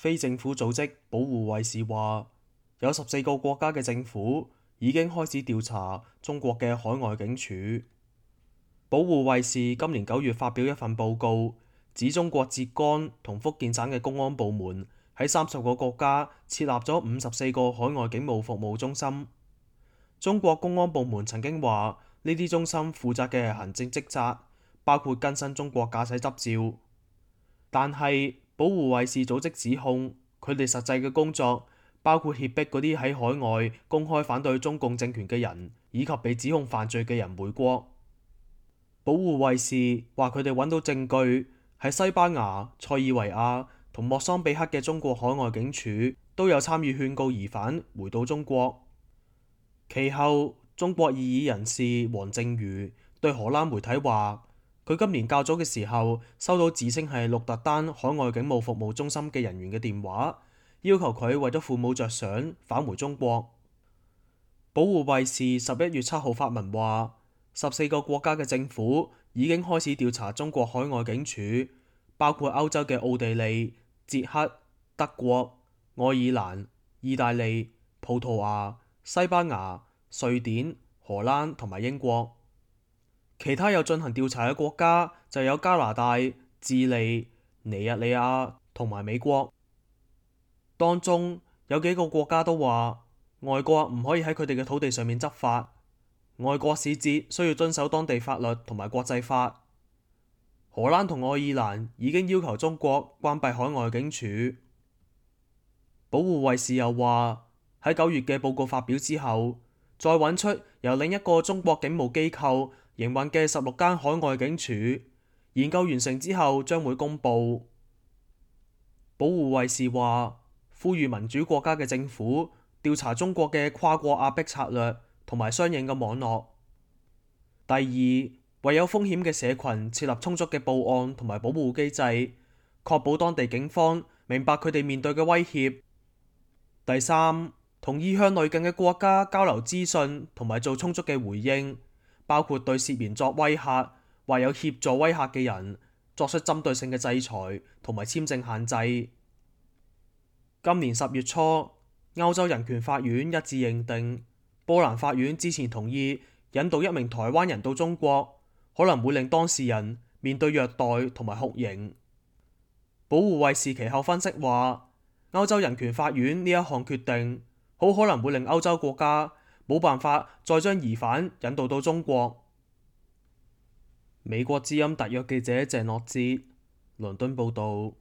非政府組織保護衛士話，有14個國家嘅政府已經開始調查中國嘅海外警署。保護衛士今年9月發表一份報告，指中國浙江同福建省嘅公安部門喺30個國家設立咗54個海外警務服務中心。中國公安部門曾經話，呢啲中心負責嘅係行政職責，包括更新中國駕駛執照。但係保護衛士組織指控，佢哋實際嘅工作包括脅迫嗰啲喺海外公開反對中共政權嘅人，以及被指控犯罪嘅人回國。保護衛士話佢哋揾到證據，喺西班牙、塞爾維亞同莫桑比克嘅中國海外警署都有參與勸告疑犯回到中國。其後，中國異議人士黃正瑜對荷蘭媒體話，佢今年較早嘅時候收到自稱係鹿特丹海外警務服務中心嘅人員嘅電話，要求佢為咗父母着想返回中國。保護衛士11月7號發文話，14個國家嘅政府已經開始調查中國海外警署，包括歐洲嘅奧地利、捷克、德國、愛爾蘭、意大利、葡萄牙、西班牙、瑞典、荷蘭同埋英國。其他有進行調查嘅國家就有加拿大、智利、尼日利亞同埋美國。當中有幾個國家都話，外國唔可以喺佢哋嘅土地上面執法，外國使節需要遵守當地法律同埋國際法。荷蘭同愛爾蘭已經要求中國關閉海外警署。保護衛士又話，喺9月嘅報告發表之後，再揾出由另一個中國警務機構營運嘅16間海外警署，研究完成之後將會公佈。保護衛士話，呼籲民主國家嘅政府調查中國嘅跨國壓迫策略同埋相應嘅網絡。第二，為有風險嘅社群設立充足嘅報案同埋保護機制，確保當地警方明白佢哋面對嘅威脅。第三，同意向鄰近嘅國家交流資訊同埋做充足嘅回應，包括對涉嫌作威嚇或有協助威嚇嘅人作出針對性嘅制裁同埋簽證限制。今年10月初，歐洲人權法院一致認定，波蘭法院之前同意引渡一名台灣人到中國，可能會令當事人面對虐待同埋酷刑。保護衛士其後分析話，歐洲人權法院呢一項決定好可能會令歐洲國家冇辦法再將疑犯引渡到中國。美國之音特約記者鄭樂哲，倫敦報導。